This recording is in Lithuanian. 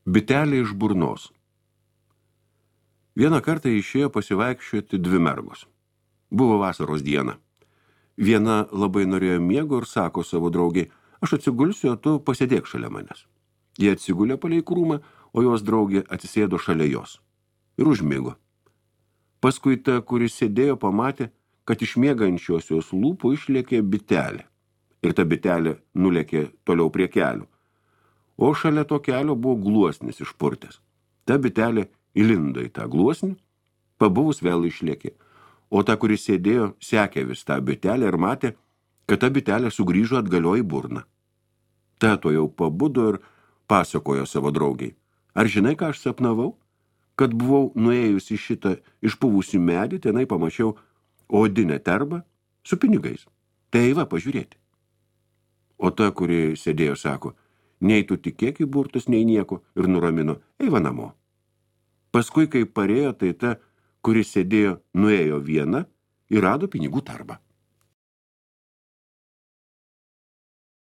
Bitelė iš burnos. Vieną kartą išėjo pasivaikščioti dvi mergos. Buvo vasaros diena. Viena labai norėjo miego ir sako savo draugiai, aš atsigulsiu, o tu pasėdėk šalia manęs. Jie atsigulė palei krūmą, o jos draugė atsisėdo šalia jos. Ir užmigo. Paskui ta, kuris sėdėjo, pamatė, kad iš miegančiosios lūpų išlėkė bitelė. Ir ta bitelė nulėkė toliau prie kelių. O šalia to kelio buvo gluosnis išpurtęs. Ta bitelė įlindo į tą gluosnį, pabuvus vėl išlėkė. O ta, kuris sėdėjo, sekė vis tą bitelę ir matė, kad ta bitelė sugrįžo atgalio į burną. Ta to jau pabudo ir pasakojo savo draugiai. Ar žinai, ką aš sapnavau? Kad buvau nuėjusi šitą išpuvusį medį, tenai pamačiau odinę terbą su pinigais. Tai va, pažiūrėti. O ta, kuri sėdėjo, sako, nei tu tikėk į burtus, nei nieko, ir nuramino, eiva namo. Paskui, kai parėjo, tai ta, kuri sėdėjo, nuėjo viena ir rado pinigų tarbą.